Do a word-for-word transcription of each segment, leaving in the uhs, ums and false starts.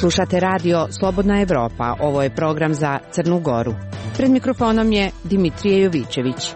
Slušate radio Slobodna Evropa, ovo je program za Crnu Goru. Pred mikrofonom je Dimitrije Jovićević.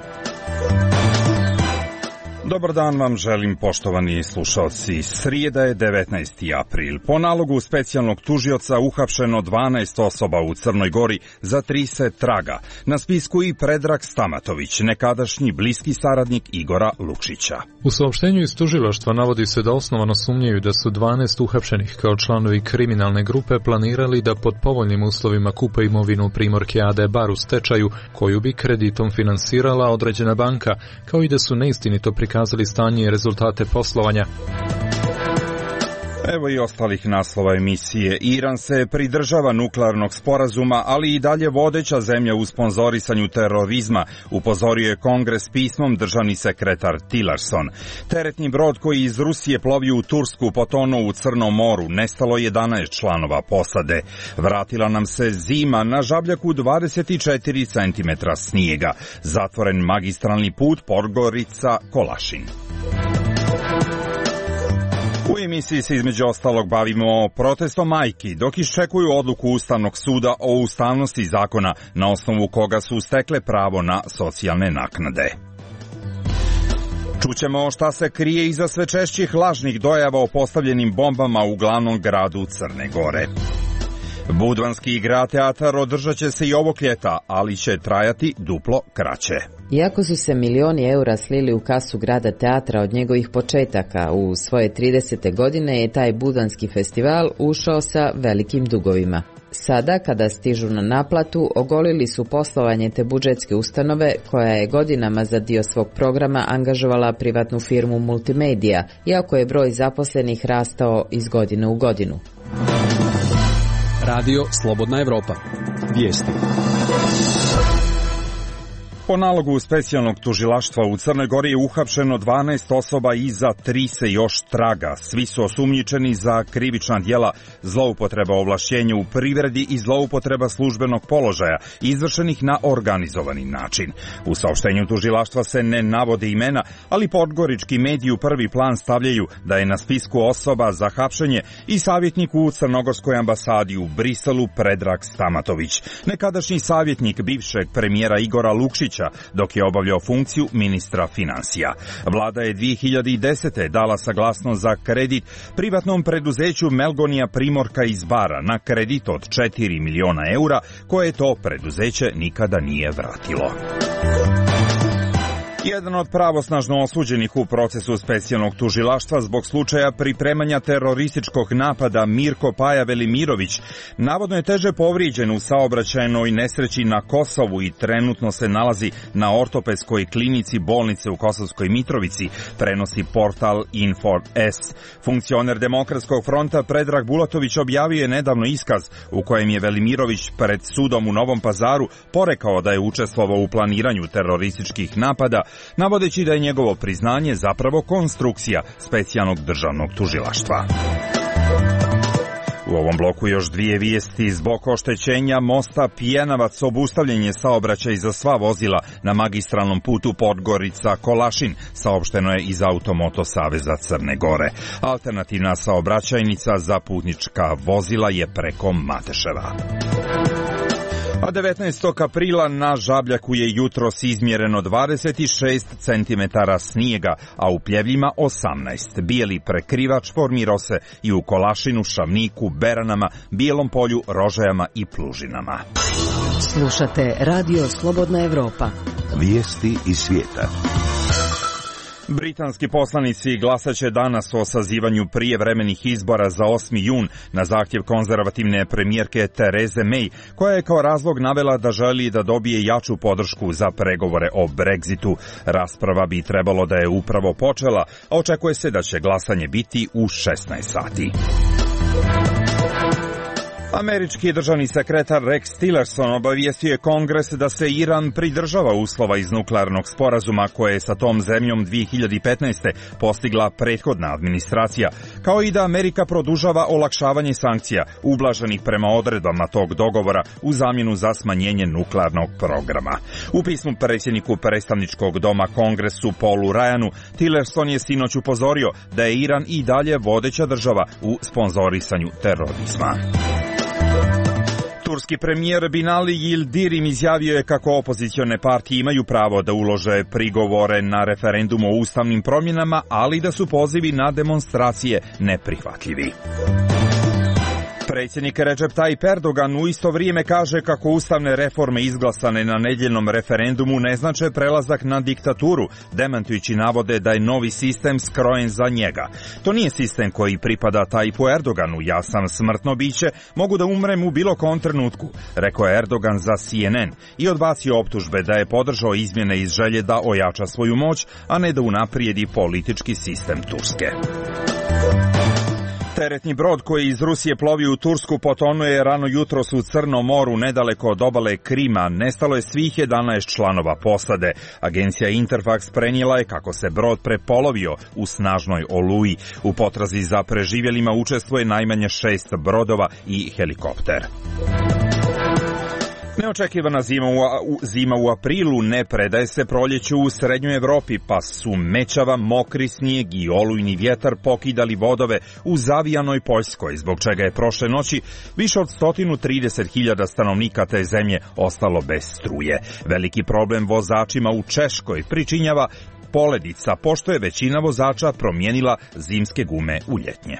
Dobar dan vam želim, poštovani slušalci. Srijeda je devetnaesti april. Po nalogu specijalnog tužioca uhapšeno dvanaest osoba u Crnoj Gori za tri se traga. Na spisku i Predrag Stamatović, nekadašnji bliski saradnik Igora Lukšića. U saopštenju iz tužilaštva navodi se da osnovano sumnjaju da su dvanaest uhapšenih kao članovi kriminalne grupe planirali da pod povoljnim uslovima kupe imovinu Primorke A D Bar u stečaju, koju bi kreditom finansirala određena banka, kao i da su neistinito prikazali kazali stanje i rezultate poslovanja. Evo i ostalih naslova emisije. Iran se pridržava nuklearnog sporazuma, ali i dalje vodeća zemlja u sponzorisanju terorizma, upozorio je Kongres pismom državni sekretar Tillerson. Teretni brod koji iz Rusije plovio u Tursku potonuo u Crnom moru, nestalo jedanaest članova posade. Vratila nam se zima, na Žabljaku dvadeset četiri centimetra snijega. Zatvoren magistralni put Podgorica-Kolašin. U emisiji se između ostalog bavimo protestom majki, dok iščekuju odluku Ustavnog suda o ustavnosti zakona na osnovu koga su stekle pravo na socijalne naknade. Čućemo šta se krije iza sve češćih lažnih dojava o postavljenim bombama u glavnom gradu Crne Gore. Budvanski igra teatar održat će se i ovog ljeta, ali će trajati duplo kraće. Iako su se milioni eura slili u kasu grada teatra od njegovih početaka, u svoje tridesete godine je taj Budvanski festival ušao sa velikim dugovima. Sada, kada stižu na naplatu, ogolili su poslovanje te budžetske ustanove, koja je godinama za dio svog programa angažovala privatnu firmu Multimedia, iako je broj zaposlenih rastao iz godine u godinu. Radio Slobodna Evropa. Vijesti. Po nalogu specijalnog tužilaštva u Crnoj Gori je uhapšeno dvanaest osoba i za tri se još traga. Svi su osumnjičeni za krivična djela zloupotreba ovlašćenja u privredi i zloupotreba službenog položaja, izvršenih na organizovani način. U saopštenju tužilaštva se ne navode imena, ali podgorički mediji u prvi plan stavljaju da je na spisku osoba za hapšenje i savjetnik u Crnogorskoj ambasadi u Briselu Predrag Stamatović, nekadašnji savjetnik bivšeg premijera Igora Lukšića, dok je obavljao funkciju ministra finansija. Vlada je dvije hiljade desete. dala saglasnost za kredit privatnom preduzeću Melgonija Primorka iz Bara na kredit od četiri miliona eura, koje to preduzeće nikada nije vratilo. Jedan od pravosnažno osuđenih u procesu specijalnog tužilaštva zbog slučaja pripremanja terorističkog napada, Mirko Paja Velimirović, navodno je teže povrijeđen u saobraćajnoj nesreći na Kosovu i trenutno se nalazi na ortopedskoj klinici bolnice u Kosovskoj Mitrovici, prenosi portal Info S. Funkcioner Demokratskog fronta Predrag Bulatović objavio je nedavno iskaz u kojem je Velimirović pred sudom u Novom Pazaru porekao da je učestvovao u planiranju terorističkih napada, navodeći da je njegovo priznanje zapravo konstrukcija specijalnog državnog tužilaštva. U ovom bloku još dvije vijesti. Zbog oštećenja mosta Pjenavac obustavljen je saobraćaj za sva vozila na magistralnom putu Podgorica-Kolašin, saopšteno je iz Automoto Saveza Crne Gore. Alternativna saobraćajnica za putnička vozila je preko Mateševa. A devetnaestog aprila na Žabljaku je jutros izmjereno dvadeset šest centimetara snijega, a u Pljevljima osamnaest. Bijeli prekrivač formirao se i u Kolašinu, Šavniku, Beranama, Bijelom polju, Rožajama i Plužinama. Slušate radio Slobodna Evropa. Vijesti iz svijeta. Britanski poslanici glasaće danas o sazivanju prijevremenih izbora za osmi jun na zahtjev konzervativne premijerke Tereze May, koja je kao razlog navela da želi da dobije jaču podršku za pregovore o Brexitu. Rasprava bi trebalo da je upravo počela, a očekuje se da će glasanje biti u šesnaest sati. Američki državni sekretar Rex Tillerson obavijestio je Kongres da se Iran pridržava uslova iz nuklearnog sporazuma koje je sa tom zemljom dvije hiljade petnaeste. postigla prethodna administracija, kao i da Amerika produžava olakšavanje sankcija ublaženih prema odredbama tog dogovora u zamjenu za smanjenje nuklearnog programa. U pismu predsjedniku predstavničkog doma Kongresu Paulu Ryanu, Tillerson je sinoć upozorio da je Iran i dalje vodeća država u sponzorisanju terorizma. Turski premijer Binali Yildirim izjavio je kako opozicione partije imaju pravo da ulože prigovore na referendum o ustavnim promjenama, ali da su pozivi na demonstracije neprihvatljivi. Predsjednik Recep Tayyip Erdogan u isto vrijeme kaže kako ustavne reforme izglasane na nedjeljnom referendumu ne znače prelazak na diktaturu, demantujući navode da je novi sistem skrojen za njega. To nije sistem koji pripada Tayyipu Erdoganu, ja sam smrtno biće, mogu da umrem u bilo kom trenutku, rekao je Erdogan za C N N i odbacio optužbe da je podržao izmjene iz želje da ojača svoju moć, a ne da unaprijedi politički sistem Turske. Teretni brod koji iz Rusije plovi u Tursku potonuo je rano jutros u Crnom moru nedaleko od obale Krima. Nestalo je svih jedanaest članova posade. Agencija Interfax prenijela je kako se brod prepolovio u snažnoj oluji. U potrazi za preživjelima učestvuje najmanje šest brodova i helikopter. Neočekivana zima u, zima u aprilu ne predaje se proljeću u srednjoj Evropi, pa su mećava, mokri snijeg i olujni vjetar pokidali vodove u zavijanoj Poljskoj, zbog čega je prošle noći više od sto trideset hiljada stanovnika te zemlje ostalo bez struje. Veliki problem vozačima u Češkoj pričinjava poledica, pošto je većina vozača promijenila zimske gume u ljetnje.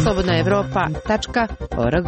slobodna evropa tačka org.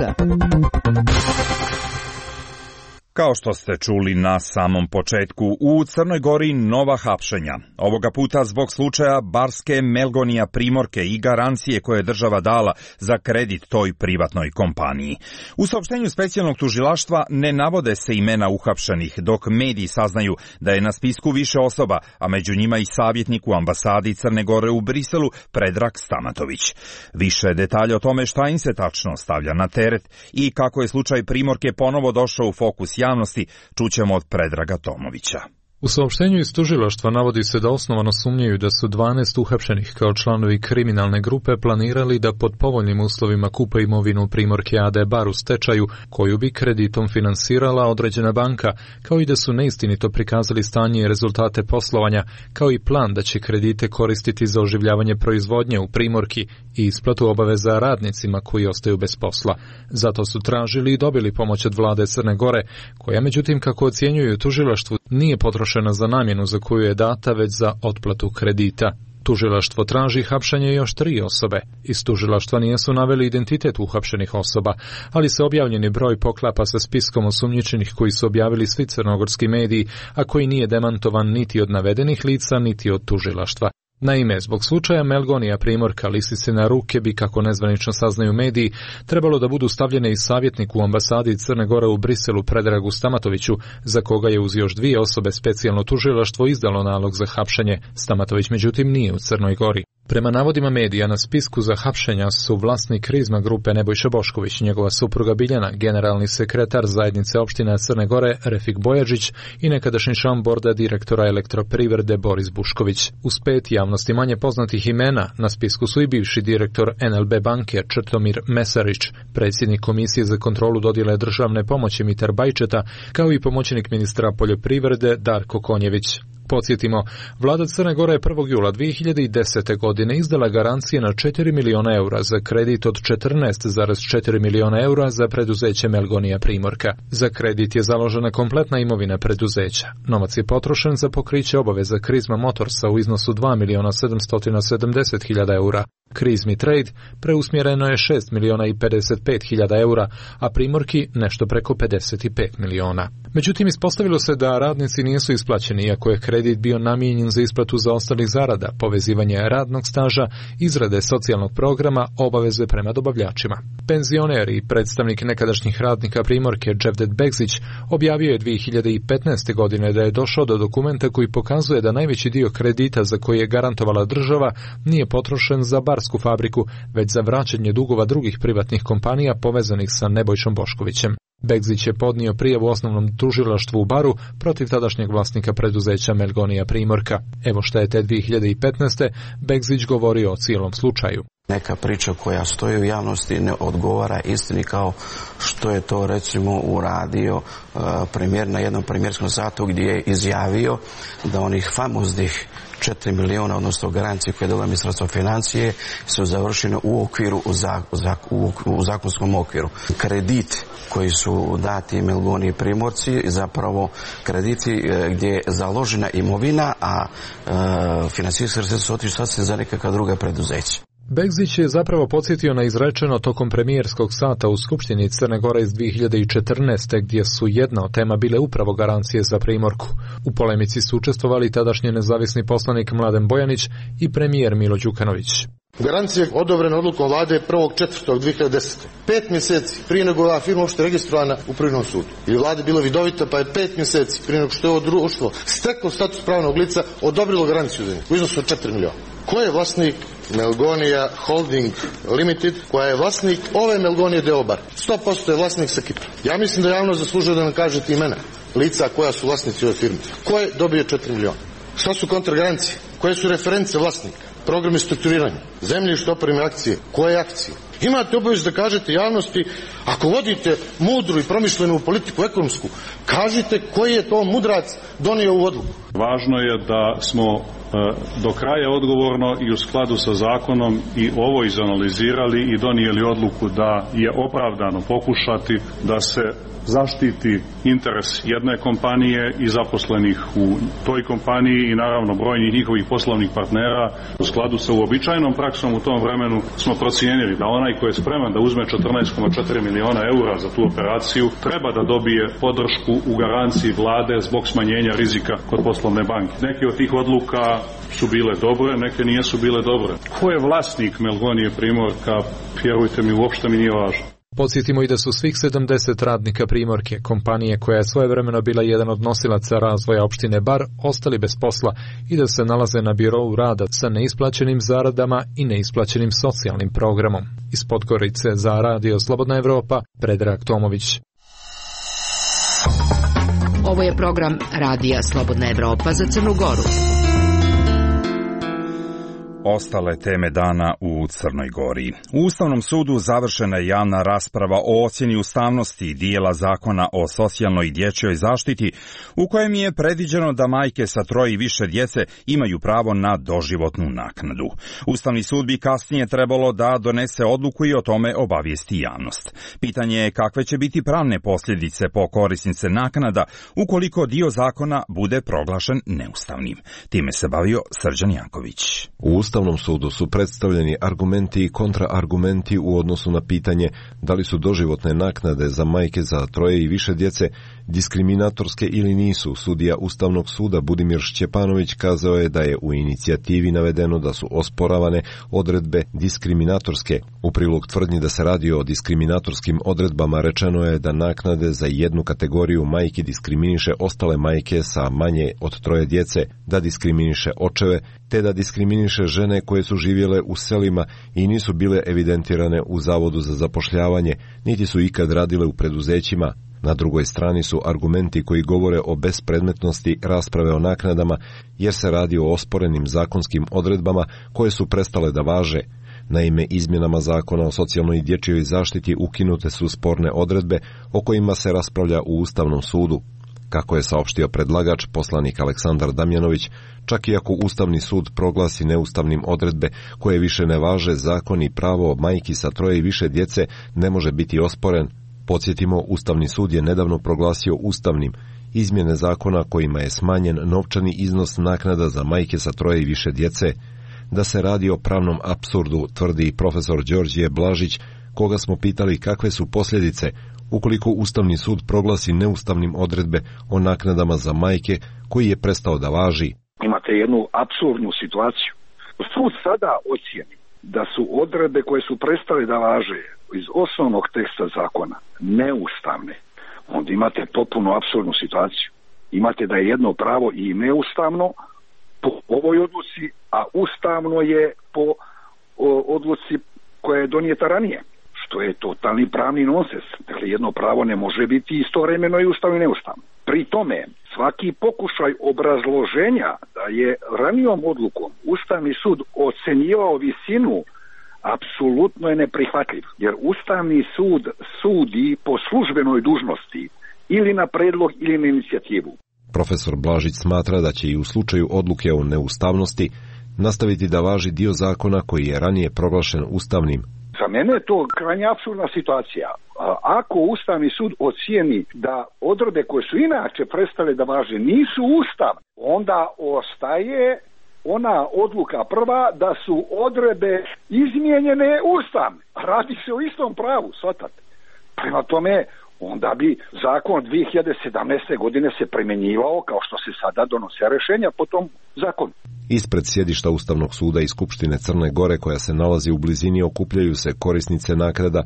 Kao što ste čuli na samom početku, u Crnoj Gori nova hapšenja. Ovoga puta zbog slučaja Barske Melgonija Primorke i garancije koje je država dala za kredit toj privatnoj kompaniji. U saopštenju specijalnog tužilaštva ne navode se imena uhapšenih, dok mediji saznaju da je na spisku više osoba, a među njima i savjetnik u ambasadi Crne Gore u Briselu Predrag Stamatović. Više detalja o tome šta im se tačno stavlja na teret i kako je slučaj Primorke ponovo došao u fokus javnosti javnosti, čućemo od Predraga Tomovića. U saopštenju iz tužilaštva navodi se da osnovano sumnjaju da su dvanaest uhapšenih kao članovi kriminalne grupe planirali da pod povoljnim uslovima kupe imovinu Primorke A D Bar u stečaju, koju bi kreditom finansirala određena banka, kao i da su neistinito prikazali stanje i rezultate poslovanja, kao i plan da će kredite koristiti za oživljavanje proizvodnje u Primorki i isplatu obaveza radnicima koji ostaju bez posla. Zato su tražili i dobili pomoć od vlade Crne Gore, koja međutim, kako ocjenjuju tužilaštvu, nije potrošena za namjenu za koju je data, već za otplatu kredita. Tužilaštvo traži hapšenje još tri osobe. Iz tužilaštva nisu naveli identitet uhapšenih osoba, ali se objavljeni broj poklapa sa spiskom osumnjičenih koji su objavili svi crnogorski mediji, a koji nije demantovan niti od navedenih lica, niti od tužilaštva. Naime, zbog slučaja Melgonija Primorka lisice na ruke bi, kako nezvanično saznaju mediji, trebalo da budu stavljene i savjetnik u ambasadi Crne Gore u Briselu Predragu Stamatoviću, za koga je uz još dvije osobe specijalno tužilaštvo izdalo nalog za hapšenje. Stamatović međutim nije u Crnoj Gori. Prema navodima medija, na spisku za hapšenja su vlasnik Krizma grupe Nebojša Bošković, njegova supruga Biljana, generalni sekretar zajednice opština Crne Gore Refik Bojažić i nekadašnji član borda direktora Elektroprivrede Boris Bušković. Uz pet javnosti manje poznatih imena na spisku su i bivši direktor N L B banke Črtomir Mesarić, predsjednik Komisije za kontrolu dodjele državne pomoći Mitar Bajčeta, kao i pomoćnik ministra poljoprivrede Darko Konjević. Podsjetimo, vlada Crne Gore je prvog jula dvije hiljade desete. godine izdala garancije na četiri miliona eura za kredit od četrnaest zarez četiri miliona eura za preduzeće Melgonija Primorka. Za kredit je založena kompletna imovina preduzeća. Novac je potrošen za pokriće obaveza Krizma Motorsa u iznosu dva miliona sedamsto sedamdeset hiljada eura. Krizmi Trade preusmjereno je šest miliona i pedeset pet hiljada eura, a Primorki nešto preko pedeset pet miliona. Međutim, ispostavilo se da radnici nisu isplaćeni, iako je kredit bio namijenjen za isplatu zaostalih zarada, povezivanje radnog staža, izrade socijalnog programa, obaveze prema dobavljačima. Penzioner i predstavnik nekadašnjih radnika Primorke Dževdet Begzić objavio je dvije hiljade petnaeste. godine da je došao do dokumenta koji pokazuje da najveći dio kredita za koji je garantovala država nije potrošen za barsku fabriku, već za vraćanje dugova drugih privatnih kompanija povezanih sa Nebojšom Boškovićem. Begzić je podnio prijavu osnovnom tužilaštvu u Baru protiv tadašnjeg vlasnika preduzeća Melgonija Primorka. Evo šta je te dvije hiljade petnaeste. Begzić govorio o cijelom slučaju. Neka priča koja stoji u javnosti ne odgovara istini, kao što je to recimo uradio uh, premijer na jednom premijerskom satu gdje je izjavio da onih famoznih četiri miliona, odnosno garancije koje je dala Ministarstvo financije, su završene u okviru, u, zak, u, u zakonskom okviru. Kredit koji su dati Melgoni i Primorci, zapravo krediti gdje je založena imovina, a e, financijski sredstva su otišli sasvim za nekakva druga preduzeća. Begzić je zapravo podsjetio na izrečeno tokom premijerskog sata u Skupštini Crne Gore iz dvije hiljade četrnaeste. gdje su jedna od tema bile upravo garancije za Primorku. U polemici su učestvovali tadašnji nezavisni poslanik Mladen Bojanić i premijer Milo Đukanović. Garancija je odobrena odlukom vlade prvog četvrtog dvije hiljade desete. Pet mjeseci prije nego ova firma uopšte registrovana u Privrednom sudu. I vlada bila vidovita, pa je pet mjeseci prije nego što je ovo društvo steklo status pravnog lica odobrilo garanciju za njih u iznosu od četiri miliona. Ko je vlasnik Melgonija Holding Limited, koja je vlasnik ove Melgonije Deobar? sto posto je vlasnik sa Kipra. Ja mislim da javno zaslužuje da nam kažete imena lica koja su vlasnici ove firme. Ko je dobio četiri miliona? Šta su kontragarancije? Koje su reference vlasnika? Programi strukturiranja, zemljište, opreme, akcije. Koje akcije? Imate obavezu da kažete javnosti, ako vodite mudru i promišljenu politiku ekonomsku, kažite koji je to mudrac donio u odluku. Važno je da smo e, do kraja odgovorno i u skladu sa zakonom i ovo izanalizirali i donijeli odluku da je opravdano pokušati da se zaštiti interes jedne kompanije i zaposlenih u toj kompaniji i naravno brojnih njihovih poslovnih partnera. U skladu sa uobičajenom praksom u tom vremenu smo procijenili da onaj koji je spreman da uzme četrnaest zarez četiri miliona eura za tu operaciju treba da dobije podršku u garanciji vlade zbog smanjenja rizika kod poslovne banke. Neke od tih odluka su bile dobre, neke nisu bile dobre. Ko je vlasnik Melgonije Primorka, vjerujte mi, uopšte mi nije važno. Podsjetimo i da su svih sedamdeset radnika Primorke, kompanije koja je svojevremeno bila jedan od nosilaca razvoja opštine Bar, ostali bez posla i da se nalaze na birou rada sa neisplaćenim zaradama i neisplaćenim socijalnim programom. Iz Podgorice za Radio Slobodna Evropa, Predrag Tomović. Ovo je program Radija Slobodna Evropa za Crnu Goru. Ostale teme dana u Crnoj Gori. U Ustavnom sudu završena je javna rasprava o ocjeni ustavnosti dijela zakona o socijalnoj i dječjoj zaštiti, u kojem je predviđeno da majke sa troje i više djece imaju pravo na doživotnu naknadu. Ustavni sud bi kasnije trebalo da donese odluku i o tome obavijesti javnost. Pitanje je kakve će biti pravne posljedice po korisnice naknada ukoliko dio zakona bude proglašen neustavnim. Time se bavio Srđan Janković. U Ustavnom sudu su predstavljeni argumenti i kontraargumenti u odnosu na pitanje da li su doživotne naknade za majke za troje i više djece diskriminatorske ili nisu. Sudija Ustavnog suda Budimir Šćepanović kazao je da je u inicijativi navedeno da su osporavane odredbe diskriminatorske. U prilog tvrdnji da se radi o diskriminatorskim odredbama rečeno je da naknade za jednu kategoriju majki diskriminiše ostale majke sa manje od troje djece, da diskriminiše očeve, te da diskriminiše žene koje su živjele u selima i nisu bile evidentirane u Zavodu za zapošljavanje, niti su ikad radile u preduzećima. Na drugoj strani su argumenti koji govore o bespredmetnosti rasprave o naknadama, jer se radi o osporenim zakonskim odredbama koje su prestale da važe. Naime, izmjenama zakona o socijalnoj i dječjoj zaštiti ukinute su sporne odredbe o kojima se raspravlja u Ustavnom sudu. Kako je saopštio predlagač, poslanik Aleksandar Damjanović, čak i ako Ustavni sud proglasi neustavnim odredbe koje više ne važe, zakon i pravo majki sa troje i više djece ne može biti osporen. Podsjetimo, Ustavni sud je nedavno proglasio ustavnim izmjene zakona kojima je smanjen novčani iznos naknada za majke sa troje i više djece. Da se radi o pravnom apsurdu, tvrdi profesor Đorđije Blažić, koga smo pitali kakve su posljedice ukoliko Ustavni sud proglasi neustavnim odredbe o naknadama za majke koji je prestao da važi. Imate jednu apsurdnu situaciju. Sud sada ocijeni da su odredbe koje su prestale da važe iz osnovnog teksta zakona neustavne. Onda imate potpuno apsurdnu situaciju. Imate da je jedno pravo i neustavno po ovoj odluci, a ustavno je po o, odluci koja je donijeta ranije. Što je totalni pravni nonsens. Dakle, jedno pravo ne može biti istovremeno i ustavno i neustavno. Pri tome, svaki pokušaj obrazloženja da je ranijom odlukom Ustavni sud ocenjivao visinu apsolutno je neprihvatljiv. Jer Ustavni sud sudi po službenoj dužnosti ili na predlog ili na inicijativu. Profesor Blažić smatra da će i u slučaju odluke o neustavnosti nastaviti da važi dio zakona koji je ranije proglašen ustavnim. Za mene je to krajnje apsurdna situacija. Ako Ustavni sud ocijeni da odredbe koje su inače prestale da važe nisu ustavne, onda ostaje ona odluka prva da su odredbe izmijenjene ustavne. Radi se o istom pravu, shvatate. Prema tome, onda bi zakon dvije hiljade sedamnaeste. godine se primjenjivao kao što se sada donose rješenja po tom zakonu. Ispred sjedišta Ustavnog suda i Skupštine Crne Gore, koja se nalazi u blizini, okupljaju se korisnice naknada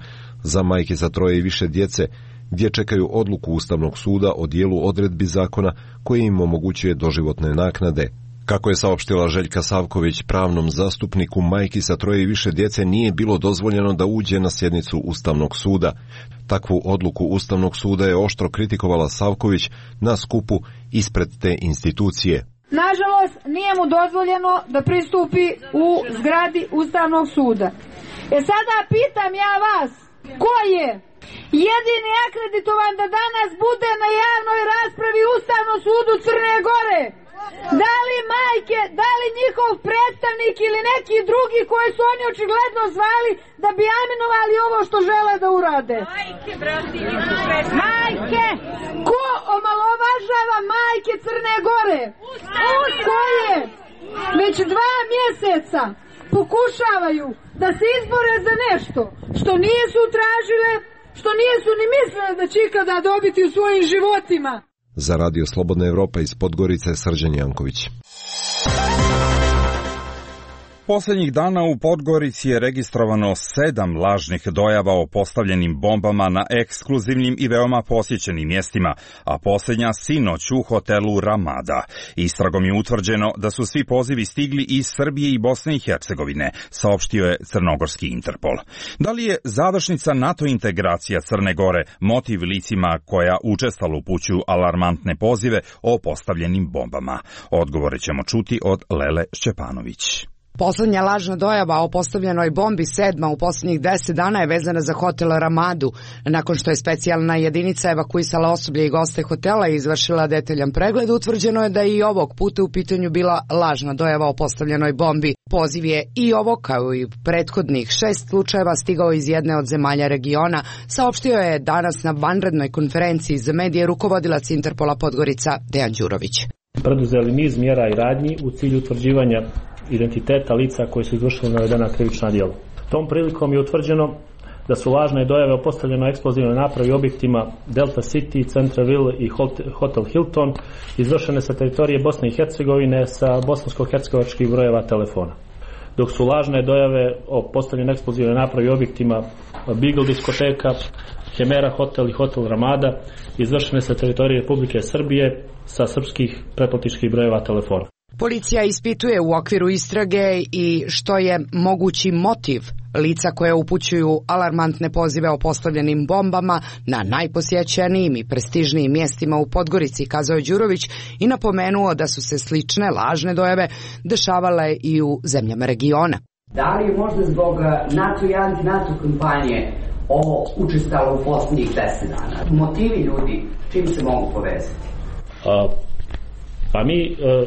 za majke za troje i više djece, gdje čekaju odluku Ustavnog suda o dijelu odredbi zakona koji im omogućuje doživotne naknade. Kako je saopštila Željka Savković, pravnom zastupniku majki sa troje i više djece nije bilo dozvoljeno da uđe na sjednicu Ustavnog suda. Takvu odluku Ustavnog suda je oštro kritikovala Savković na skupu ispred te institucije. Nažalost, nije mu dozvoljeno da pristupi u zgradi Ustavnog suda. E sada pitam ja vas, ko je jedini akreditovan da danas bude na javnoj raspravi Ustavnom sudu Crne Gore? Da li majke, da li njihov predstavnik ili neki drugi koji su oni očigledno zvali da bi aminovali ovo što žele da urade? Majke, brati, majke! Ko omalovažava majke Crne Gore? Ko je? Već dva mjeseca pokušavaju da se izbore za nešto što nisu tražile, što nisu ni mislile da će ikada dobiti u svojim životima. Za Radio Slobodna Evropa iz Podgorice, Srđan Janković. Posljednjih dana u Podgorici je registrovano sedam lažnih dojava o postavljenim bombama na ekskluzivnim i veoma posjećenim mjestima, a posljednja sinoć u hotelu Ramada. Istragom je utvrđeno da su svi pozivi stigli iz Srbije i Bosne i Hercegovine, saopštio je crnogorski Interpol. Da li je završnica NATO integracija Crne Gore motiv licima koja učestalo upućuju alarmantne pozive o postavljenim bombama? Odgovore ćemo čuti od Lele Šćepanović. Poslednja lažna dojava o postavljenoj bombi, sedma u posljednjih deset dana, je vezana za hotel Ramadu. Nakon što je specijalna jedinica evakuisala osoblje i goste hotela i izvršila detaljan pregled, utvrđeno je da je i ovog puta u pitanju bila lažna dojava o postavljenoj bombi. Poziv je i ovo, kao i prethodnih šest slučajeva, stigao iz jedne od zemalja regiona, saopštio je danas na vanrednoj konferenciji za medije rukovodilac Interpola Podgorica Dejan Đurović. Preduzeli niz mjera i radnji u cilju utvrđivanja identiteta lica koji su izvršili navedena krivična djela. Tom prilikom je utvrđeno da su lažne dojave o postavljenoj eksplozivnoj napravi objektima Delta City, Centraville i Hotel Hilton izvršene sa teritorije Bosne i Hercegovine sa bosansko-hercegovačkih brojeva telefona. Dok su lažne dojave o postavljenoj eksplozivnoj napravi objektima Beagle diskoteka, Hemera hotel i Hotel Ramada izvršene sa teritorije Republike Srbije sa srpskih pretplatičkih brojeva telefona. Policija ispituje u okviru istrage i što je mogući motiv lica koje upućuju alarmantne pozive o postavljenim bombama na najposjećenijim i prestižnijim mjestima u Podgorici, kazao je Đurović i napomenuo da su se slične lažne dojave dešavale i u zemljama regiona. Da li je možda zbog NATO i anti-NATO kampanje ovo učestalo u posljednjih deset dana? Motivi ljudi, čim se mogu povezati? A, pa mi... A...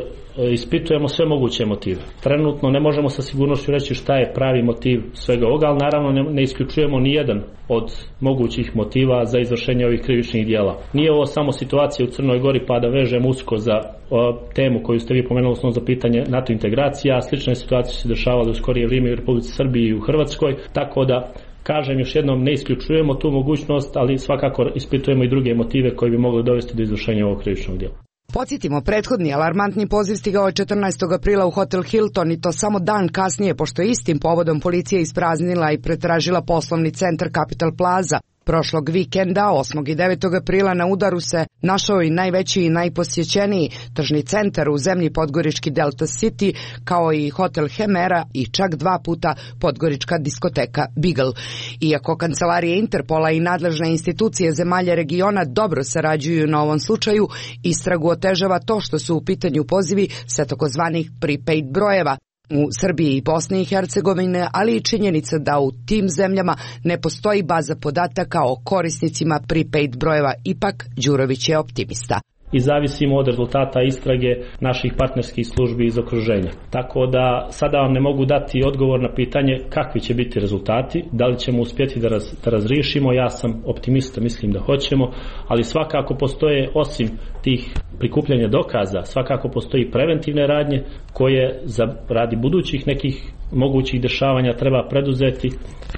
ispitujemo sve moguće motive. Trenutno ne možemo sa sigurnošću reći šta je pravi motiv svega ovoga, ali naravno ne, ne isključujemo ni jedan od mogućih motiva za izvršenje ovih krivičnih djela. Nije ovo samo situacija u Crnoj Gori pa da vežemo usko za o, temu koju ste vi pomenuli, osnovno za pitanje NATO integracija, a slične situacije su se dešavale u skorije vrijeme u Republici Srbiji i u Hrvatskoj, tako da kažem još jednom, ne isključujemo tu mogućnost, ali svakako ispitujemo i druge motive koji bi mogli dovesti do izvršenja ovog krivičnog djela. Podsjetimo, prethodni alarmantni poziv stigao je četrnaestog aprila u Hotel Hilton i to samo dan kasnije, pošto je istim povodom policija ispraznila i pretražila poslovni centar Capital Plaza. Prošlog vikenda, osmog i devetog aprila, na udaru se našao i najveći i najposjećeniji tržni centar u zemlji podgorički Delta City, kao i hotel Hemera i čak dva puta podgorička diskoteka Beagle. Iako kancelarije Interpola i nadležne institucije zemalja regiona dobro sarađuju na ovom slučaju, istragu otežava to što su u pitanju pozivi sa takozvanih prepaid brojeva u Srbiji i Bosni i Hercegovine, ali i činjenica da u tim zemljama ne postoji baza podataka o korisnicima prepaid brojeva. Ipak, Đurović je optimista. i zavisimo od rezultata istrage naših partnerskih službi iz okruženja. Tako da sada vam ne mogu dati odgovor na pitanje kakvi će biti rezultati, da li ćemo uspjeti da, raz, da razriješimo. Ja sam optimista, mislim da hoćemo, ali svakako postoje, osim tih prikupljanja dokaza, svakako postoji preventivne radnje koje za radi budućih nekih mogućih dešavanja treba preduzeti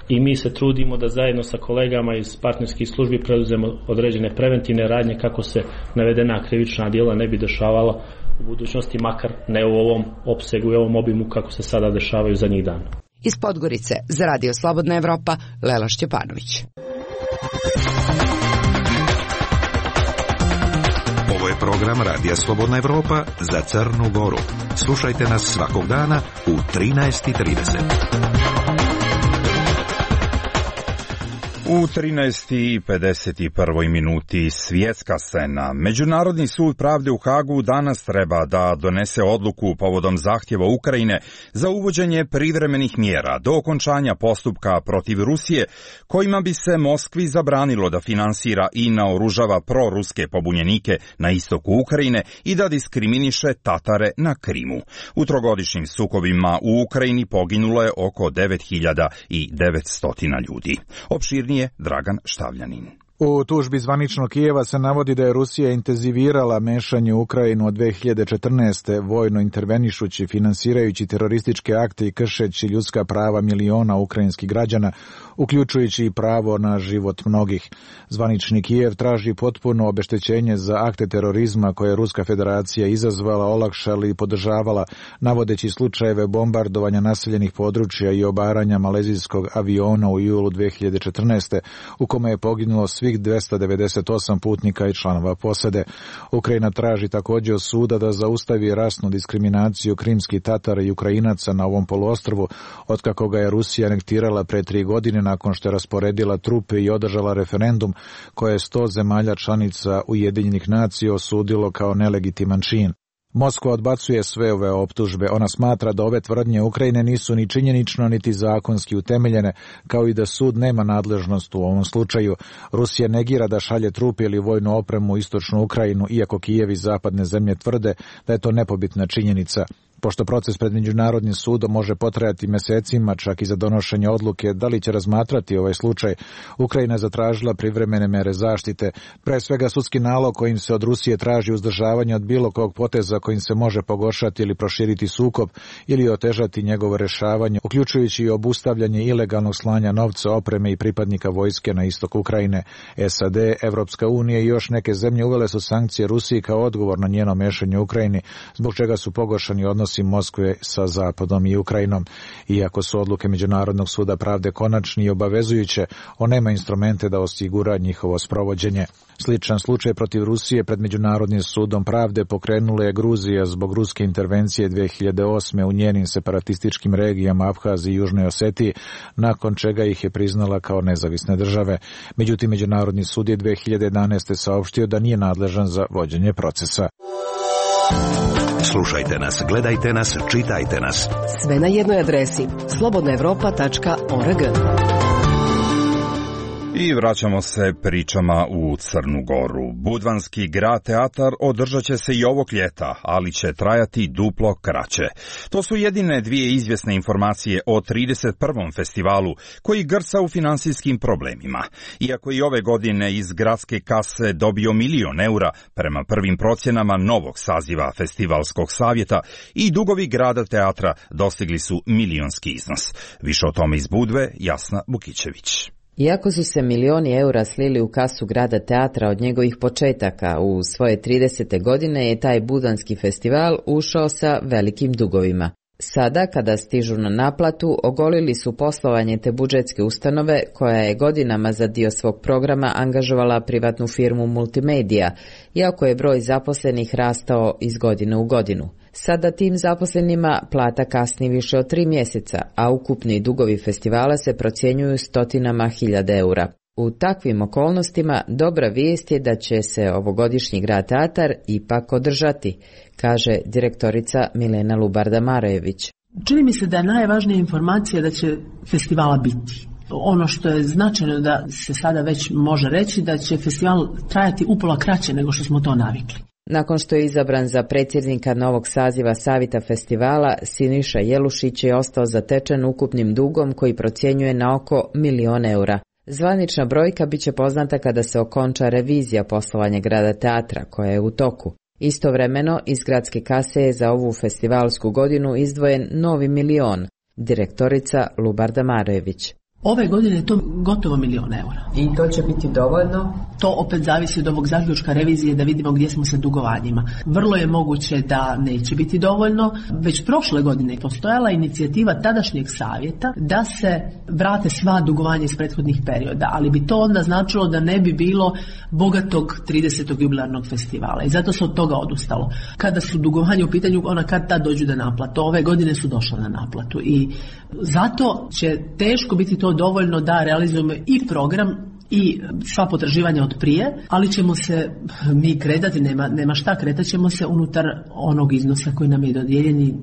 i mi se trudimo da zajedno sa kolegama iz partnerskih službi preduzemo određene preventivne radnje kako se navedena krivična djela ne bi dešavala u budućnosti, makar ne u ovom opsegu i ovom obimu kako se sada dešavaju zadnjih dana. Iz Podgorice za Radio Slobodna Evropa, Lela Šćepanović. Ovo je program Radija Slobodna Evropa za Crnu Goru. Slušajte nas svakog dana u trinaest i trideset. U trinaest i pedeset prvoj minuti svjetska scena. Međunarodni sud pravde u Hagu danas treba da donese odluku povodom zahtjeva Ukrajine za uvođenje privremenih mjera do okončanja postupka protiv Rusije, kojima bi se Moskvi zabranilo da finansira i naoružava proruske pobunjenike na istoku Ukrajine i da diskriminiše Tatare na Krimu. U trogodišnjim sukobima u Ukrajini poginulo je oko devet hiljada devetsto ljudi. Opširnije Dragan Štavljanin. U tužbi zvaničnog Kijeva se navodi da je Rusija intenzivirala mešanje u Ukrajinu od dve hiljade četrnaeste. vojno intervenišući, finansirajući terorističke akte i kršeći ljudska prava miliona ukrajinskih građana, uključujući i pravo na život mnogih. Zvanični Kijev traži potpuno obeštećenje za akte terorizma koje je Ruska federacija izazvala, olakšala i podržavala, navodeći slučajeve bombardovanja naseljenih područja i obaranja malezijskog aviona u julu dve hiljade četrnaeste. u kome je poginulo svih dvesta devedeset osam putnika i članova posade. Ukrajina traži također od suda da zaustavi rasnu diskriminaciju krimskih Tatara i Ukrajinaca na ovom poluostrvu, otkako ga je Rusija anektirala pre tri godine nakon što je rasporedila trupe i održala referendum koje je sto zemalja članica Ujedinjenih nacija osudilo kao nelegitiman čin. Moskva odbacuje sve ove optužbe. Ona smatra da ove tvrdnje Ukrajine nisu ni činjenično niti zakonski utemeljene, kao i da sud nema nadležnost u ovom slučaju. Rusija negira da šalje trupe ili vojnu opremu u istočnu Ukrajinu, iako Kijev i zapadne zemlje tvrde da je to nepobitna činjenica. Pošto proces pred Međunarodnim sudom može potrajati mesecima, čak i za donošenje odluke da li će razmatrati ovaj slučaj, Ukrajina je zatražila privremene mere zaštite, pre svega sudski nalog kojim se od Rusije traži uzdržavanje od bilo kog poteza kojim se može pogoršati ili proširiti sukob ili otežati njegovo rešavanje, uključujući i obustavljanje ilegalnog slanja novca, opreme i pripadnika vojske na istok Ukrajine. S A D, Evropska unija i još neke zemlje uvele su sankcije Rusiji kao odgovor na njeno mešanje u Ukrajini, zbog čega su pogoršani odnosi Moskve sa Zapadom i Ukrajinom. Iako su odluke Međunarodnog suda pravde konačni i obavezujuće, on nema instrumente da osigura njihovo sprovođenje. Sličan slučaj protiv Rusije pred Međunarodnim sudom pravde pokrenula je Gruzija zbog ruske intervencije dve hiljade osme u njenim separatističkim regijama Abhaziji i Južnoj Osetiji, nakon čega ih je priznala kao nezavisne države. Međutim, Međunarodni sud je dve hiljade jedanaeste saopštio da nije nadležan za vođenje procesa. Slušajte nas, gledajte nas, čitajte nas. Sve na jednoj adresi slobodna evropa tačka org. I vraćamo se pričama u Crnu Goru. Budvanski grad teatar održat će se i ovog ljeta, ali će trajati duplo kraće. To su jedine dvije izvjesne informacije o trideset prvom festivalu koji grca u finansijskim problemima. Iako i ove godine iz gradske kase dobio milion eura prema prvim procjenama novog saziva Festivalskog savjeta, i dugovi grada teatra dostigli su milionski iznos. Više o tome iz Budve, Jasna Bukićević. Iako su se milioni eura slili u kasu grada teatra od njegovih početaka, u svoje tridesete godine je taj budanski festival ušao sa velikim dugovima. Sada, kada stižu na naplatu, ogolili su poslovanje te budžetske ustanove, koja je godinama za dio svog programa angažovala privatnu firmu Multimedia, iako je broj zaposlenih rastao iz godine u godinu. Sada tim zaposlenima plata kasni više od tri mjeseca, a ukupni dugovi festivala se procjenjuju stotinama hiljada eura. U takvim okolnostima dobra vijest je da će se ovogodišnji grad teatar ipak održati, kaže direktorica Milena Lubarda-Marojević. Čini mi se da je najvažnija informacija da će festivala biti. Ono što je značajno da se sada već može reći da će festival trajati upola kraće nego što smo to navikli. Nakon što je izabran za predsjednika novog saziva Savjeta festivala, Siniša Jelušić je ostao zatečen ukupnim dugom koji procjenjuje na oko milion eura. Zvanična brojka bit će poznata kada se okonča revizija poslovanja Grada teatra koja je u toku. Istovremeno, iz gradske kase je za ovu festivalsku godinu izdvojen novi milion, direktorica Lubarda Marojević. Ove godine je to gotovo milion eura. I to će biti dovoljno? To opet zavisi od ovog zaključka revizije da vidimo gdje smo sa dugovanjima. Vrlo je moguće da neće biti dovoljno. Već prošle godine je postojala inicijativa tadašnjeg savjeta da se vrate sva dugovanja iz prethodnih perioda, ali bi to onda značilo da ne bi bilo bogatog tridesetog jubilarnog festivala i zato se od toga odustalo. Kada su dugovanja u pitanju, ona kad tad dođu da naplatu. Ove godine su došla na naplatu i zato će teško biti to dovoljno da realizujemo i program i sva potraživanja od prije, ali ćemo se mi kretati, nema, nema šta, kretat ćemo se unutar onog iznosa koji nam je dodijeljeni,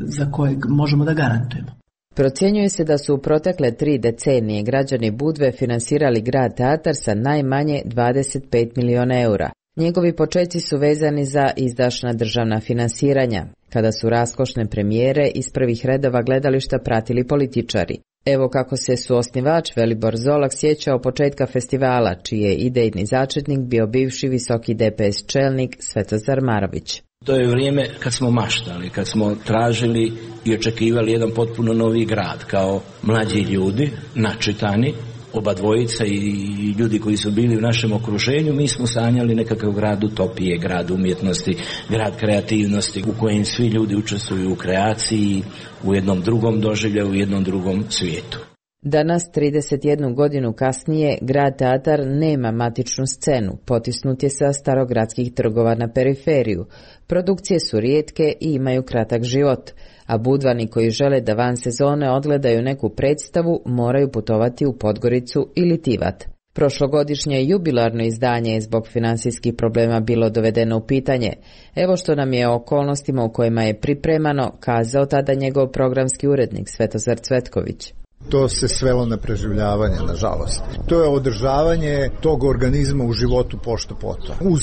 za kojeg možemo da garantujemo. Procjenjuje se da su u protekle tri decenije građani Budve finansirali Grad teatar sa najmanje dvadeset pet miliona eura. Njegovi počeci su vezani za izdašna državna finansiranja, kada su raskošne premijere iz prvih redova gledališta pratili političari. Evo kako se suosnivač Velibor Zolak sjećao početka festivala, čiji je idejni začetnik bio bivši visoki D P S čelnik Svetozar Marović. To je vrijeme kad smo maštali, kad smo tražili i očekivali jedan potpuno novi grad, kao mlađi ljudi, načitani, oba dvojica i ljudi koji su bili u našem okruženju. Mi smo sanjali nekakav grad utopije, grad umjetnosti, grad kreativnosti u kojem svi ljudi učestvuju u kreaciji, u jednom drugom doživljaju, u jednom drugom svijetu. Danas, trideset jednu godinu kasnije, Grad teatar nema matičnu scenu, potisnut je sa starogradskih trgova na periferiju. Produkcije su rijetke i imaju kratak život, a Budvani koji žele da van sezone odgledaju neku predstavu moraju putovati u Podgoricu ili Tivat. Prošlogodišnje jubilarno izdanje je zbog financijskih problema bilo dovedeno u pitanje. Evo što nam je o okolnostima u kojima je pripremano kazao tada njegov programski urednik Svetozar Cvetković. To se svelo na preživljavanje, nažalost. To je održavanje tog organizma u životu pošto poto. Uz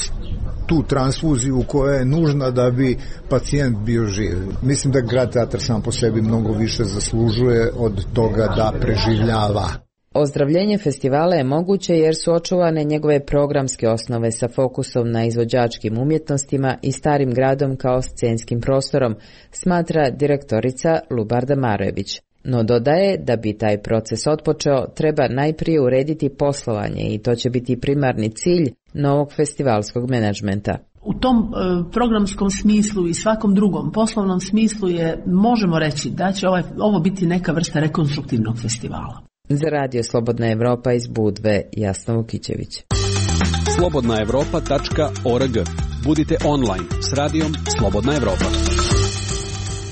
tu transfuziju koja je nužna da bi pacijent bio živ. Mislim da Grad teatar sam po sebi mnogo više zaslužuje od toga da preživljava. Ozdravljenje festivala je moguće jer su očuvane njegove programske osnove sa fokusom na izvođačkim umjetnostima i starim gradom kao scenskim prostorom, smatra direktorica Lubarda Marojević. No dodaje da bi taj proces otpočeo, treba najprije urediti poslovanje i to će biti primarni cilj novog festivalskog menadžmenta. U tom e, programskom smislu i svakom drugom poslovnom smislu je, možemo reći da će ovaj, ovo biti neka vrsta rekonstruktivnog festivala. Za Radio Slobodna Evropa iz Budve, Jasna Vukićević. slobodna evropa tačka org. Budite online s radijom Slobodna Evropa.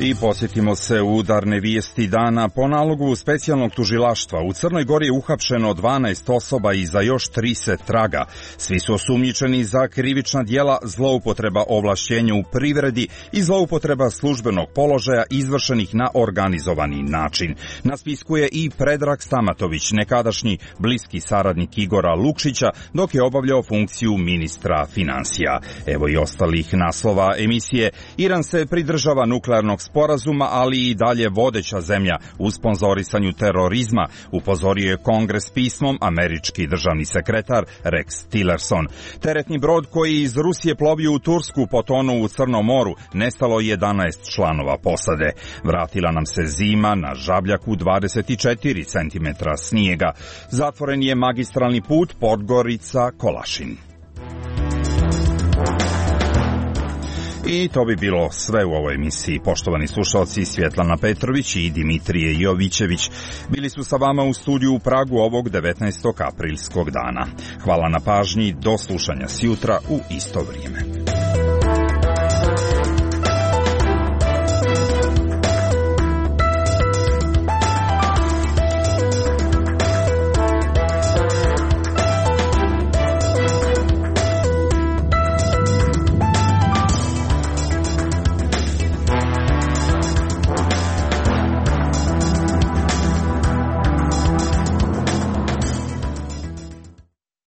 I posjetimo se udarne vijesti dana. Po nalogu specijalnog tužilaštva u Crnoj Gori je uhapšeno dvanaest osoba i za još tri se traga. Svi su osumnjičeni za krivična djela zloupotreba ovlašćenja u privredi i zloupotreba službenog položaja izvršenih na organizovani način. Na spisku je i Predrag Stamatović, nekadašnji bliski saradnik Igora Lukšića, dok je obavljao funkciju ministra financija. Evo i ostalih naslova emisije. Iran se pridržava nuklearnog sporazuma, ali i dalje vodeća zemlja u sponzorisanju terorizma, upozorio je Kongres pismom američki državni sekretar Rex Tillerson. Teretni brod koji iz Rusije plovio u Tursku potonuo u Crnom moru, nestalo jedanaest članova posade. Vratila nam se zima, na Žabljaku dvadeset četiri centimetra snijega. Zatvoren je magistralni put Podgorica-Kolašin. I to bi bilo sve u ovoj emisiji. Poštovani slušalci, Svjetlana Petrović i Dimitrije Jovićević bili su sa vama u studiju u Pragu ovog devetnaestog aprilskog dana. Hvala na pažnji, do slušanja sjutra u isto vrijeme.